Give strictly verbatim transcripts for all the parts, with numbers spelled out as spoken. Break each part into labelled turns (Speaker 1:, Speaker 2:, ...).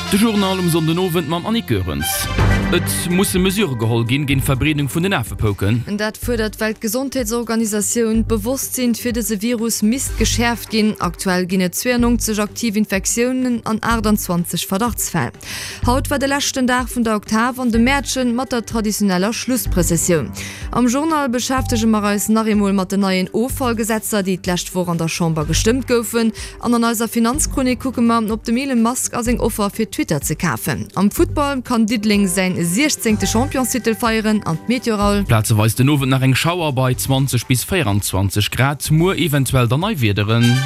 Speaker 1: De Journal um Sonndenowend mam Annick Goerens. Et musse Mesure geholl ginn géint d'Verbreedung vun den Afepouken.
Speaker 2: Dat fuerdert d'Weltgesondheetsorganisatioun. D'Bewosstsinn fir dëse Virus misst geschäerft ginn. Aktuell ginn et zweeannonzeg aktiv Infektiounen an aachtanzwanzeg Verdachtsfäll. Haut war de leschten Dag vun der Oktav an dem Mäertchen mat der traditioneller Schlussprëssessioun. Am Journal beschäftege mer eis nach eemol mat den neien Offallgesetzer, déi d'lescht Woch an der Chamber gestëmmt goufen. An an eiser Finanzchronik kucke mer op dem Elon Musk a seng Offer fir Twitter ze kafen. Am Futtball kann Diddeleng säin siechzéngte Championstitel feieren an d'Meteo Raoul.
Speaker 1: Plazeweis den Owend nach eng Schauer bei zwanzeg bis véieranzwanzeg Grad, muer eventuell dann nei Wiederen.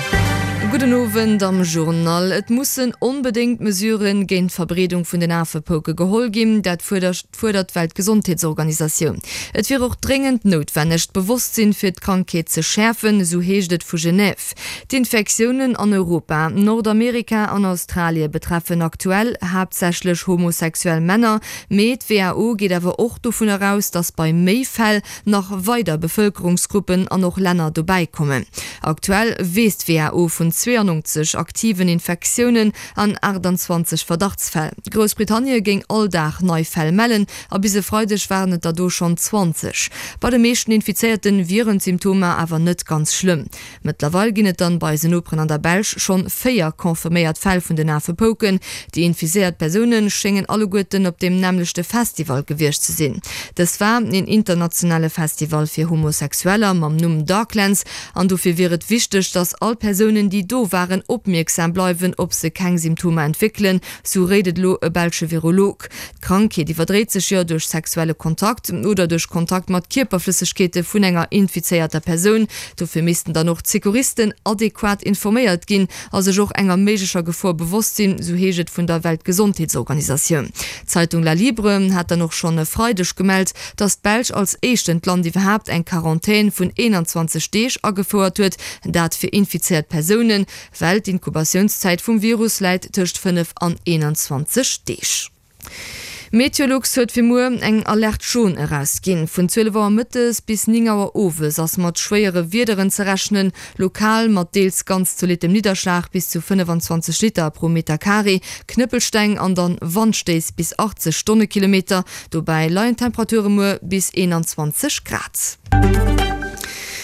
Speaker 2: Gudden Owend am Journal. Et mussen onbedéngt Mesurë géint d'Verbreedung vun den Afepouke geholl ginn. Dat fuerdert d'Weltgesondheetsorganisatioun. Et wier och dréngend noutwenneg, d'Bewosstsinn fir d'Krankheet ze schäerfen, esou heescht et vu Genève. D'Infektiounen an Europa, Nordamerika an Australie betreffen aktuell haaptsächlech homosexuell Männer, mee d'WHO geet awer och dovunner aus, datt bei méi Fäll nach weider Bevëlkerungsgruppen an och Länner dobäi kommen. Aktuell weess d'WHO vun zweeannonzeg aktiven Infektiounen an aachtanzwanzeg Verdachtsfäll. Groussbritannie géing all Dag nei Fäll mellen a bis e Freideg waren et der do schonn zwanzeg. Bei de meeschten Infizéierte wieren d'Symptomer awer net ganz schlëmm. Mëttlerweil ginn et dann bei eisen Noperen an der Belsch schonn véier confirméiert Fäll vun den Afepouken. Déi infiziéiert Persoune schéngen alleguerten op deem nämmlechte Festival gewiescht ze sinn. Dës war een internationale Festival fir Homosexueller mam Numm Darklands an dofir wier et wichteg, dass all Persounen, déi do waren, opmierksam bleiwen, ob se keng Symptomer entwéckelen, sou réit et elo e belsche Virolog. D'Krankheet iwwerdréit sech jo duerch sexuelle Kontakt oder duerch Kontakt mat Kierperflëssegkeete vun enger infizéierter Persoun. Dofir missten dann och d'Secouristen adequat informéiert ginn a sech och enger méiglecher Gefor bewosst sinn, sou heescht et vun der Weltgesondheetsorganisatioun. D'Zeitung La Libre hat dann och schonn e Freideg gemellt, datt d'Belsch als éischtent Land iwwerhaapt eng Quarantän vun eenanzwanzeg Deeg agefouert huet, dat fir infizéiert Persounen, well d'Inkubatiounszäit vum Virus läit tëscht fënnef an eenanzwanzeg Deeg. Meteolux huet fir muer eng Alerte jaune erausginn. Vun zwielef Auer mëttes bis néng Auer owes ass mat schwéiere Wiederen ze rechnen, lokal mat deels ganz zolittem Nidderschlag bis zu fënnefanzwanzeg Liter pro Meter Carré, Knëppelsteng an dann Wandstéiss bis achtzeg Stonnekilometer. Dobäi leien d'Temperature muer bis eenanzwanzeg Grad.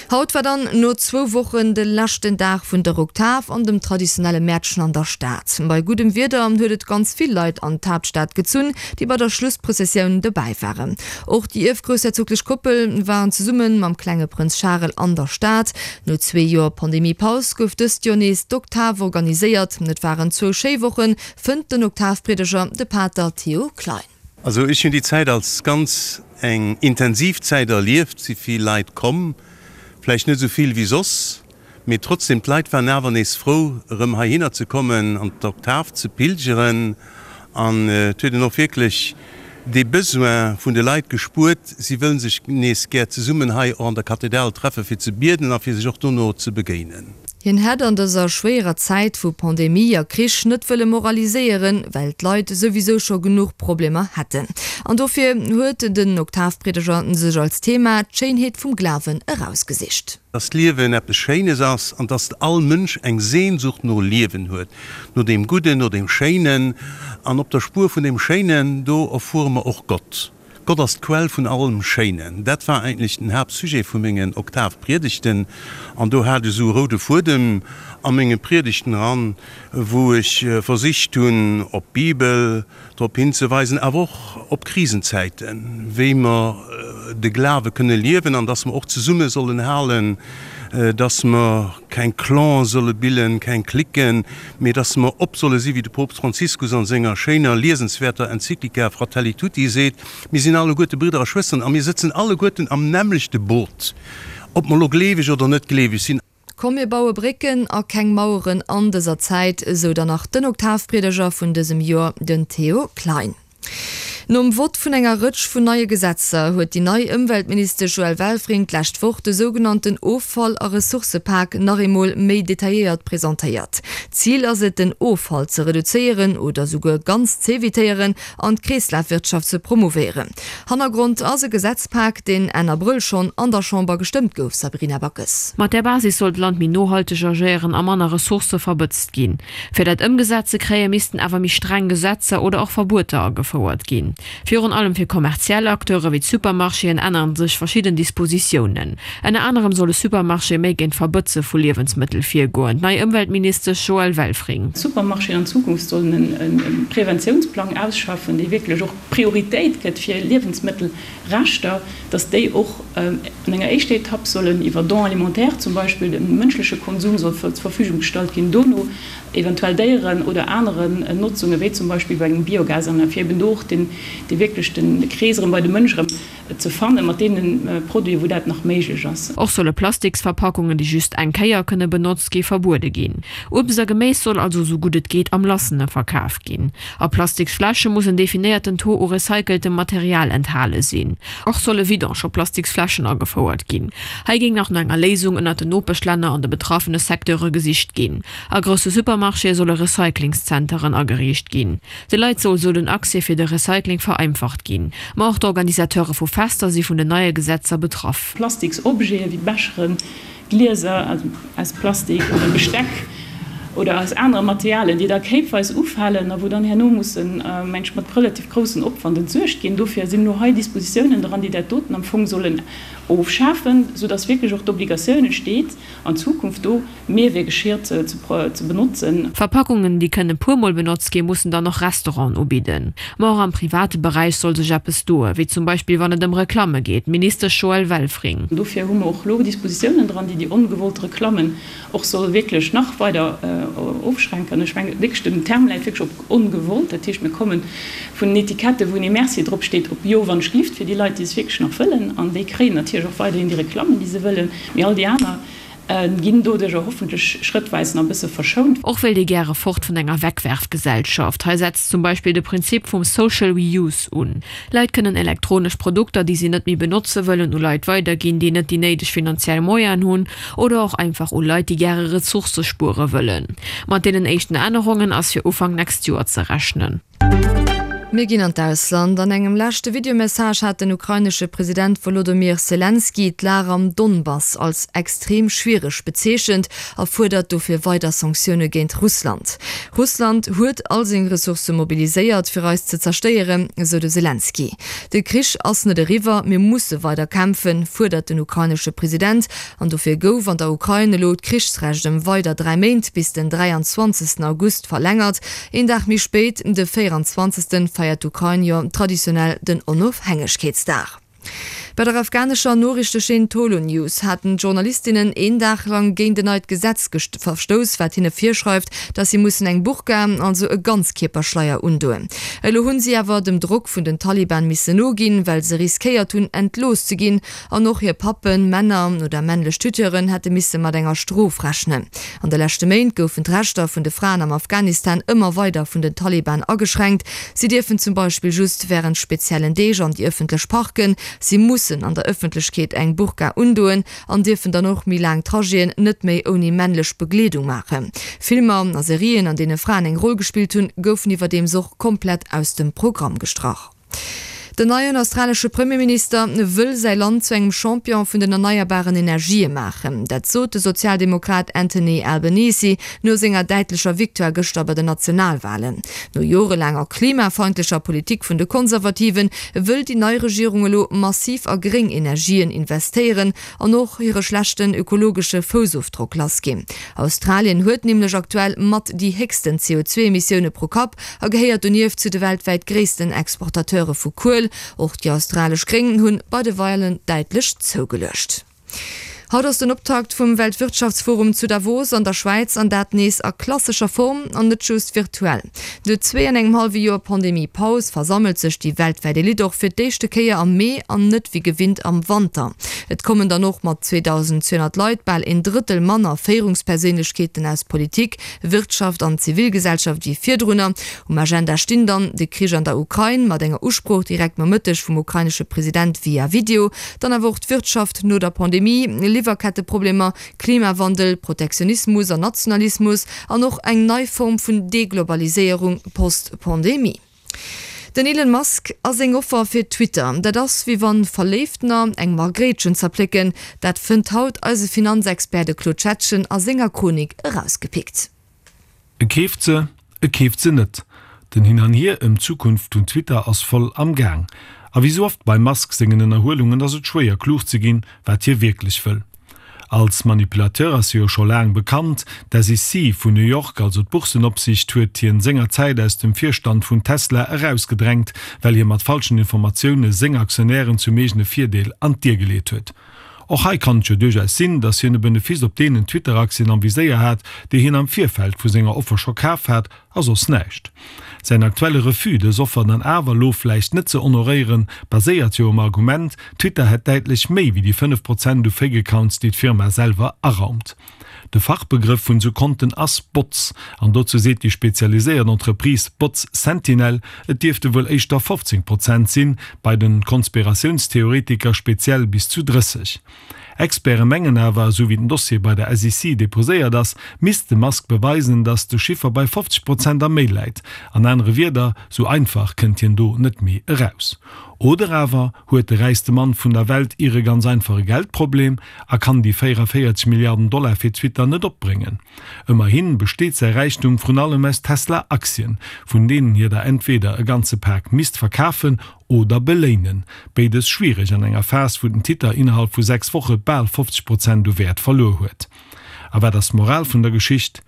Speaker 2: Haut war dann no zwou Wochen de leschten Dag vun der Oktav an dem traditionelle Mäertchen an der Stad. Bei guddem Wieder huet et ganz vill Leit an d'Haaptstad gezunn, déi bei der Schlussprëssessioun dobäi waren. Och déi ierfgroussherzoglech Koppel waren zesumme mam klenge Prënz Charel an der Stad. No zwee Joer Pandemie-Paus gouf dëst Joer nees d'Oktav organiséiert. Et waren zwou schéi Wochen, fënnt den Oktavpriedeger, de Pater Theo Klein.
Speaker 3: Also ech hunn déi Zäit als ganz eng intensiv Zäit erlieft, si vill Leit komm, vläicht net esou vill wéi soss, mee trotzdem, d'Leit waren awer nees frou erëm heihinner ze kommen, an d'Oktav ze pilgeren an et huet een och wierklech dee Besoin vun de Leit gespuert, si wëllen sech nees gär zesummen hei och an der Kathedral treffe fir ze bieden a fir sech och dono ze begéinen.
Speaker 2: Hien hätt an dëser schwéierer Zäit vu Pandemie a Krich net wëlle moraliséieren, well d'Leit souwisou scho genuch Problemer hätten. An dofir huet den Oktavpriedeger sech als Thema d'Schéinheet vum Glawen erausgesicht.
Speaker 3: Dass d'Liewen eppes Schéines ass an dass all Mënsch eng Sehnsucht no Liewen huet, no deem Gudden, no deem Schéinen. An op der Spuer vun deem Schéinen, do erfuere mer och Gott. Gott ass d'Quell vun allem Schéinen. Dat war eigentlech den Haaptsujet vu mengen Oktavpriedegten. An do hat ech esou e roude Fuedem a menge Priedegten eran, wou ech versicht hunn, op d'Bibel drop hinzeweisen, awer och op Krisenzäiten, wéi mer de Glawe kënne liewen an dass mer och zesumme sollen halen, dass mer keng Clanen solle billen, keng Cliquen, mee dass mer op solle si wéi de Poopst Franziskus an senger schéiner, liesenswäerter Enzyklika Fratelli Tutti seet, Mir sinn alleguerte Bridder a Schwësteren a mir sëtzen alleguerten am nämmlechte Boot, ob mer elo gleeweg oder net gleeweg sinn.
Speaker 2: Komm mir baue Brécken a keng Maueren an dëser Zäit, esou dann nach den Oktavpriedeger vun dësem Joer, den Théo Klein. Nom Vott vun enger Rëtsch vun neie Gesetzer huet déi nei Ëmweltministesch Joëlle Welfring d'lescht Woch de sougenannten Offall a Ressourcëpak nach eemol méi detailléiert presentéiert. Zil ass et, den Offall ze reduzéieren oder souguer ganz z'evitéieren an d'Kreeslafwirtschaft ze promouvéieren. Hannergrond ass e Gesetzpak, deen Enn Abrëll schonn an der Chamber gestëmmt gouf, Sabrina Backes.
Speaker 4: Mat där Basis soll d'Land méi nohalteg agéieren a manner Ressourcë verbëtzt ginn. Fir dat ëmgesat ze kréien, missten awer méi streng Gesetzer oder och Verbueter agefouert ginn. Virun allem fir kommerziell Acteure wéi d'Supermarchéen ännere sech verschidden Dispositiounen. Ënner anerem soll e Supermarché méi géint d'Verbëtze vu Liewensmëttel virgoen. D'nei Ëmweltministesch Joëlle Welfring.
Speaker 5: D'Supermarchéen an Zukunft sollen e Preventiounsplang ausschaffen, dee wierklech och Prioritéit gëtt fir Liewensmëttelreschter, datt déi och an enger éischter Etapp sollen iwwer Don alimentaire zum Beispill dem mënschleche Konsum soll zur Verfügung gestallt ginn, dono eventuell Déieren oder aneren Notzungen, wéi zum Beispill bei engem Biogasanlag, fir eben do och den, dee wierklech den Krees erëm bei de Mënsch erëm ze fannen, mat deene Produiten, wou dat nach méiglech ass.
Speaker 4: Och solle Plastiksverpackungen, déi just eng Kéier kënne benotzt gi, verbuede ginn. Uebst a Geméis soll also esou gutt et geet am Lassene verkaf ginn. A Plastiksfläsche muss en definéierten Taux u recyceltem Material enthale sinn. Och solle Vidange op Plastiksfläschen agefouert ginn. Hei géing nach no enger Léisung ënnert den Nopeschlänner an de betraffene Secteure gesicht ginn. A grousse Supermarchéë solle Recyclingszenteren ageriicht ginn. De Leit soll esou den Accès fir de Recycling vereinfacht ginn. Ma och d'Organisateure vu Fester si vun den neie Gesetzer betraff.
Speaker 5: Plastiks-Objete wéi Becheren, Glieser aus Plastik oder Besteck oder aus anere Materialien, déi da kéipweis ufalen a wou dann herno mussen, meng ech, mat relativ groussen Opwand entsuergt ginn. Dofir sinn elo hei Dispositiounen dran, déi dat doten am Fong sollen ofschafen, soudass wierklech och d'Obligatioun entsteet, an Zukunft do Mehrweggeschirr ze benotzen.
Speaker 4: Verpackungen, déi kënne puer Mol benotzt ginn, mussen dann och Restauranten ubidden. Ma och am private Beräich soll sech eppes doen, wéi zum Beispill wann et ëm Reklamme geet, Ministesch Joëlle Welfring.
Speaker 5: Dofir hu mer och elo Dispositiounen dran, déi déi ongewollt Reklammen och solle wierklech nach weider ofschränken. Ech mengen wierklech, den Term läit wierklech op ongewollt. Dat heescht, mir komme vun den Etiketten, wou nee merci drop steet, op jo wann ech glift, fir déi Leit, déi es wierklech nach wëllen. An déi kréien natierlech och weiderhin déi Reklammen, déi se wëllen. Mee all déi aner ginn doduercher hoffentlech schrëttweis nach e bësse verschount.
Speaker 4: Och wéilt ee gäre fort vun enger Wegwerfgesellschaft. Hei setzt zum Beispill de Prinzip vum Social Reuse un. Leit kënnen elektronesch Produkter, déi si net méi benotze wëllen, u Leit weiderginn, déi net déi néideg finanziell Moyenen hunn, oder och einfach u Leit, déi gäre Ressourcë spuere wëllen. Mat deenen éischten Ännerungen ass fir Ufank nächst Joer ze rechnen.
Speaker 2: Mir ginn an d'Ausland. An engem leschte Videomessage hat den ukrainesche President Wolodomyr Selenskyj d'Lag am Donbass als extrem schwiereg bezeechent a fuerdert dofir weider Sanktioune géint Russland. Russland huet all seng Ressourcë mobiliséiert, fir eis ze zerstéieren, esou de Selenskyj. De Krich ass net eriwwer, mir musse weider kämpfen, fuerdert den ukrainesche President. An dofir gouf an der Ukrain elo d'Krichsrecht ëm weider dräi Méint, bis den dräianzwanzegsten August, verlängert. Een Dag méi spéit, de véieranzwanzegsten, feiert d'Ukrain jo traditionell den Onofhängegkeetsdag. Bei der afghanescher Noriichtechaîne Tolo News haten d'Journalistinnen een Dag lang géint en neit Gesetz verstouss, wat hinne virschreift, dass si mussen eng Burka, also e Ganzkierperschleier undoen. Elo hunn si awer dem Drock vun den Taliban missen noginn, well se riskéiert hunn, entlooss ze ginn an och hir Pappen, Männer oder männlech Tuteuren hätte misse mat enger Strof rechnen. An de leschte Méint goufen d'Rechter vun de Fraen am Afghanistan ëmmer weider vun den Taliban ageschränkt. Si dierfen zum Beispill just wärend speziellen Deeg an déi ëffentlech Parken, si mussen an der Ëffentlechkeet eng Burka undoen an dierfen dann och méi laang Trajeten net méi ouni männlech Begleedung maachen. Filmer a Serien, an deene Fraen eng Roll gespillt hunn, goufen iwwerdeems och komplett aus dem Programm gestrach. Den neien australesche Premierminister wëll säi Land zu engem Champion vun den erneierbaren Energië maachen. Dat sot de Sozialdemokrat Anthony Albanese no senger däitlecher Victoire gëschter bei den Nationalwalen. No jorelaanger klimafeindlecher Politik vun de Konservativen wëll déi nei Regierung elo massiv a gréng Energien investéieren an och hire schlechten ökologesche Foussofdrock lassginn. Australien huet nämlech aktuell mat déi héchsten C O zwei Emissioune pro Kapp a gehéiert donieft zu de weltwäit gréissten Exportateure vu Kuel. Och déi australesch Gréng hunn bei de Walen däitlech zougeluecht. Haut ass den Optakt vum Weltwirtschaftsforum zu Davos an der Schwäiz, an dat nees a klassescher Form an net just virtuell. No zwee an engem hallwe Joer Pandemie-Paus versammelt sech déi weltwäit Elite och fir d'éischte Kéier am Mee an net wéi gewinnt am Wanter. Et kommen dann och mat zweedausendzweehonnert Leit bal een Drëttel manner Féierungsperséinlechkeeten aus Politik, Wirtschaft an Zivilgesellschaft wéi virdrunner. Um Agenda stinn dann de Krich an der Ukrain mat enger Usprooch direkt Nomëtteg vum ukrainesche President via Video, dann awer och d'Wirtschaft no der Pandemie, Liwwerketteproblemer, Klimawandel, Protektionismus an Nationalismus an och eng nei Form vun Deglobaliséierung post-Pandemie. Den Elon Musk a seng Offer fir Twitter, dat ass wéi wann Verléiftener eng Margréitchen zerplécken. Dat fënnt haut eise Finanzexpert de Claude Schettgen a senger Chronik erausgepickt.
Speaker 6: E keeft se, e keeft se net. Den Hin an Hier ëm d'Zukunft vun Twitter ass voll am Gaang. A wéi sou oft beim Musk sengen Ënnerhuelungen ass et schwéier klug ze ginn, wat hie wierklech wëll. Als Manipulateur ass hie jo scho laang bekannt. D'S E C vun New York, also d'Boursenopsicht, huet hien sengerzäit aus dem Virstand vun Tesla erausgedrängt, well hie mat falschen Informatioune seng Aktionären zum eegene Virdeel an d'Dier geleet huet. Och hei kann et jo duerchaus sinn, datt hien e Benefice op deenen Twitter-Aktien am Viséier hat, déi hien am Virfeld vu senger Offer scho kaf hat, a soss näischt. Säin aktuelle Refus, dës Offer dann awer elo vläicht net ze honoréieren, baséiert jo um Argument, Twitter hätt däitlech méi wéi déi fënnef Prozent u Fake-Accounts, déi d'Firma selwer araumt. De Fachbegrëff vun esou Konten ass Bots, an dozou seet déi spezialiséiert Entreprise Bots Sentinel, et dierfte wuel éischter fofzéng Prozent sinn, bei de Konspiratiounstheoretiker speziell bis zu drësseg. Experte mengen awer, esou wéi den Dossier bei der S E C deposéiert ass, misst de Musk beweisen, datt de Chiffer bei fofzeg Prozent a méi läit. An anere Wierder, sou einfach kënnt hien do net méi eraus. Oder awer huet de räichste Mann vun der Welt iere ganz einfach e Geldproblem a kann déi véierunvéierzeg Milliarden Dollar fir Twitter net opbréngen. Ëmmerhi besteet säi Räichtum vrun allem aus Tesla-Aktien, vun deenen hie der entweder e ganze Pak misst verkafen oder beléinen. Béides schwiereg an enger Phas, wou den Ticker innerhalb vu sechs Woche bal fofzeg Prozent u Wäert verluer huet. A wat ass d'Moral vun der Geschicht?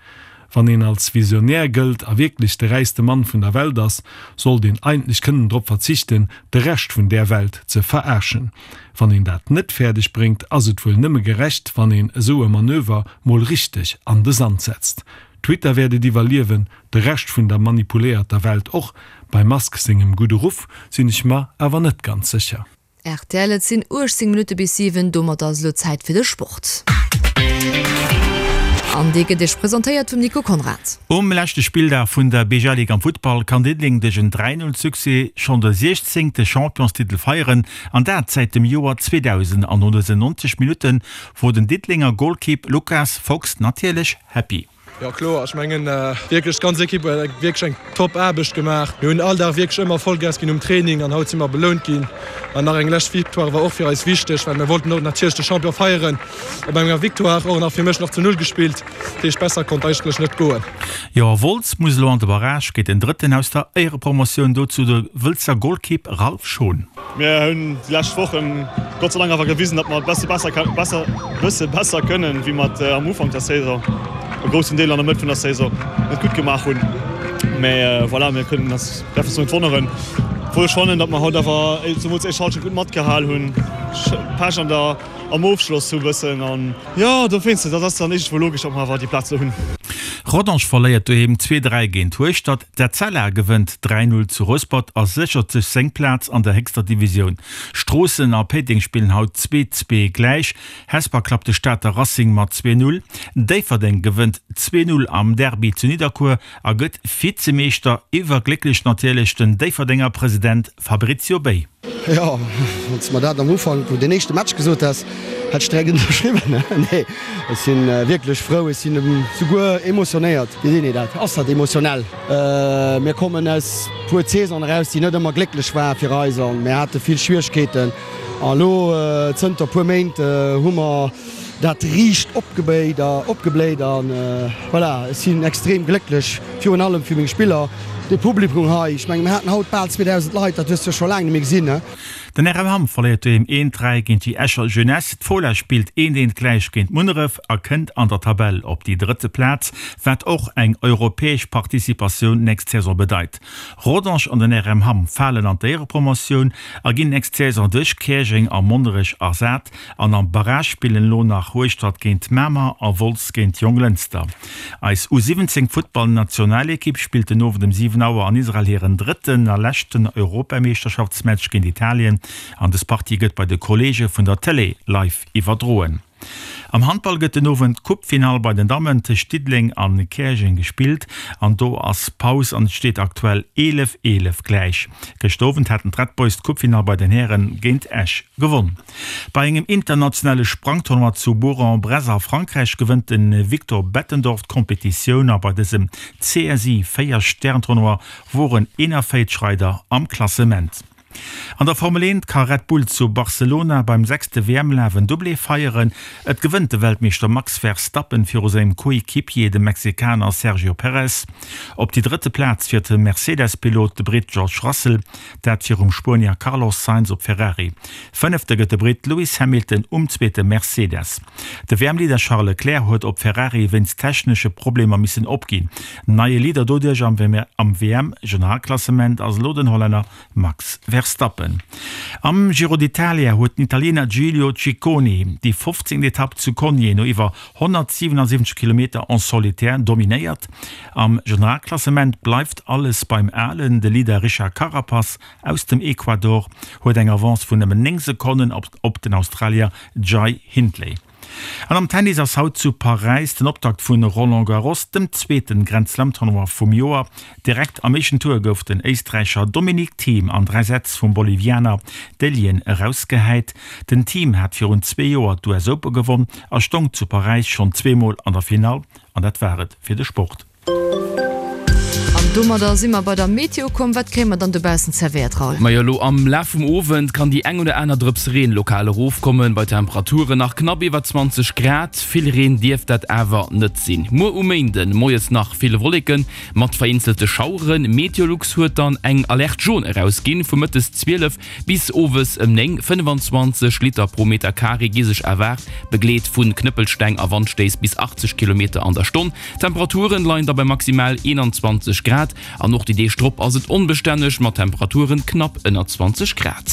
Speaker 6: Wann een als Visionär gëllt a wierklech de räichste Mann vun der Welt ass, sollt een eigentlech kënnen drop verzichten, de Rescht vun där Welt ze verarschen. Wann een dat net fäerdeg bréngt, ass et wuel nëmme gerecht, wann een esou e Manöver mol richteg an de Sand setzt. Twitter wäert et iwwerliewen, de Rescht vun der manipuléierter Welt och. Beim Musk sengem gudde Ruff sinn ech mer awer net ganz sécher.
Speaker 2: Rtl, Et sinn uechtzéng Minutte bis siwen, domat ass elo Zäit fir de Sport. An dee gëtt Iech presentéiert vum Nico Conrad.
Speaker 7: Um leschte Spilldag vun der B G A Ligue am Futtball kann Diddeleng duerch en dräi Null Succès schonn de siechzéngte Championstitel feieren, an dat säit dem Joer zweedausend. An no dësen neunzeg Minutte wor den Diddelenger Golkipp Lucas Fox natierlech happy.
Speaker 8: Jo kloer, ech mengen wierklech d'ganz Ekipp huet wierklech eng top Aarbecht gemaach. Mir hunn all Dag wierklech ëmmer Vollgas ginn um Training an haut si mer belount ginn. An nach eng lescht Victoire war och fir eis wichteg, well mir wollten och natierlech de Champion feieren op enger Victoire. Och nach fir mech nach zu Null gespillt, dat heescht besser konnt eigentlech net goen.
Speaker 7: Jo, a Wolz muss elo an de Barrage géint den Drëtten aus der Éierepromotioun, dozou de Wëlzer Golkipp Ralph Schon.
Speaker 9: Mir hunn déi lescht Wochen Gott sei Dank awer gewisen, datt mer et besser besser bësse besser kënnen, wéi mer et am Ufank der Saison, e groussen Deel an der Mëtt vun der Saison net gutt gemaach hunn. Mä voilà, mir kënnen eis, däerfen eis net wonneren. Obwuel ech fannen, datt mer haut awer zemools éischt Halschent gutt matgehal hunn, Pech an der am Ofschloss hu bëssen an jo, dowéinst, dat ass dann iergendwou logesch, datt mer awer déi Plaz elo hunn.
Speaker 7: Rodange verléiert doheem zwee, dräi géint Hueschtert, d'Etzella gewënnt dräi, null zu Rouspert a séchert sech seng Plaz an der héchster Divisioun. Stroossen a Péiteng spillen haut zwee, zwee gläich. Hesper klappt de Stater Racing mat zwee, null. Déifferdeng gewënnt zwee, null am Derby zu Nidderkuer a gëtt Vizemeeschter. Iwwerglécklech natierlech den Déifferdenger President Fabrizio Bey.
Speaker 10: Jo, wann s de mer dat am Ufank vun den éischte Match gesot häss, hätt ech direkt ënnerschriwwen. Nee, ech si wierklech frou, ech sinn souguer emotionéiert. Wéi seet een dat? Ass dat emotionell? Mir kommen aus puer Saisonen eraus, déi net ëmmer glécklech ware fir eis a mir hate vill Schwieregkeeten. A elo zënter puer Méint hu mer dat riicht opgebéit a opgebléit a voilà, ech sinn extrem glécklech, virun allem fir meng Spiller, de Publikum hei. Ech mengen, mir haten haut bal zweedausend Leit, dat hues de jo scho laang net méi gesinn.
Speaker 7: Den R M Hamm verléiert doheem een, dräi géint déi Escher Jeunesse. D'Fola spillt eent, eent gläich géint Munneref a kënnt an der Tabell op déi drëtte Plaz, wat och eng europäesch Participatioun nächst Saison bedeit. Rodange an den R M Hamm falen an d'Éierepromotioun a ginn nächst Saison duerch Käerjeng a Monnerech ersat. An am Barrage spillen elo nach Hueschtert géint Mamer a Wolz géint Jonglënster. Eis U siwwenzéng Futtballnationalekipp spillt den Owend um siwen Auer an Israel hiren drëtten a leschten Europameeschterschaftsmatch géint Italien an dës Partie gëtt bei de Kolleege vun der Tëlee live iwwerdroen. Am Handball gëtt den Owend d'Coupefinall bei den Dammen tëscht Diddeleng an Käerjeng gespillt an do ass Paus an et steet aktuell eelef, eelef gläich. Gëschter Owend haten d'Red Boys d'Coupefinall bei den Häre géint Esch gewonn. Bei engem internationale Sprangtournoi zu Bourg-en-Bresse a Frankräich gewënnt de Victor Bettendorf d'Kompetitioun a bei dësem C S I véier Stern-Tournoi woren eenenvéierzeg Reider am Klassement. An der Formel eent ka Red Bull zu Barcelona beim sechste W M-Laf en Doublé feieren. Et gewënnt de Weltmeeschter Max Verstappen viru sengem Coéquipier, dem Mexikaner Sergio Perez. Op déi drëtte Plaz fiert de Mercedes-Pilot, de Britt George Russell, dat virum Spuenier Carlos Sainz op Ferrari. Fënnefte gëtt de Britt Lewis Hamilton um zweete Mercedes. De W M-Leader Charles Leclerc huet op Ferrari wéinst technesche Problemer missen opginn. Neie Leader doduerch am W M-Generalklassement ass elo den Hollänner Max Verstappen. Am Giro d'Italia huet den Italiener Giulio Ciccone déi fofzéngt Etapp zu Cogne no iwwer honnertsiwenundsiwwenzeg Kilometer en solitaire dominéiert. Am Generalklassement bleift alles beim Alen. De Leader Richard Carapaz aus dem Ecuador huet eng Avance vun nëmmen néng Sekonnen op, op den Australier Jai Hindley. An am Tennis ass haut zu Paräis den Optakt vun Roland Garros, dem zweeten Grand Slam Tournoi vum Joer. Direkt am éischten Tour gouf den Éisträicher Dominic Thiem an dräi Sätz vum Bolivianer Dellien erausgehäit. Den Thiem hat virun zwee Joer d'U S Open gewonn a stong zu Paräis schonn zweemol an der Finall. An dat war et fir de Sport.
Speaker 2: An domadder si mer bei der Meteo komm. Wat kréie mer dann dobaussen zerwéiert, Raoul?
Speaker 1: Majo, elo am Laf vum Owend kann déi eng oder aner Drëps Reen lokal erofkommen, bei Temperaturen nach knapp iwwer zwanzeg Grad. Vill Reen dierft dat awer net sinn. Muer um Méinden moies nach vill Wolleken mat vereenzelte Schaueren. Meteolux huet dann eng Alerte jaune erausginn, vu mëttes zwielef bis owes ëm néng. fënnefanzwanzeg Liter pro Meter Carré gi sech erwaart, begleet vu Knëppelsteng a Wandstéiss bis achtzeg Kilometer an der Stonn. Temperaturen leien da bei maximal eenanzwanzeg Grad an och déi Deeg drop ass et onbestänneg mat Temperaturen knapp ënner zwanzeg Grad.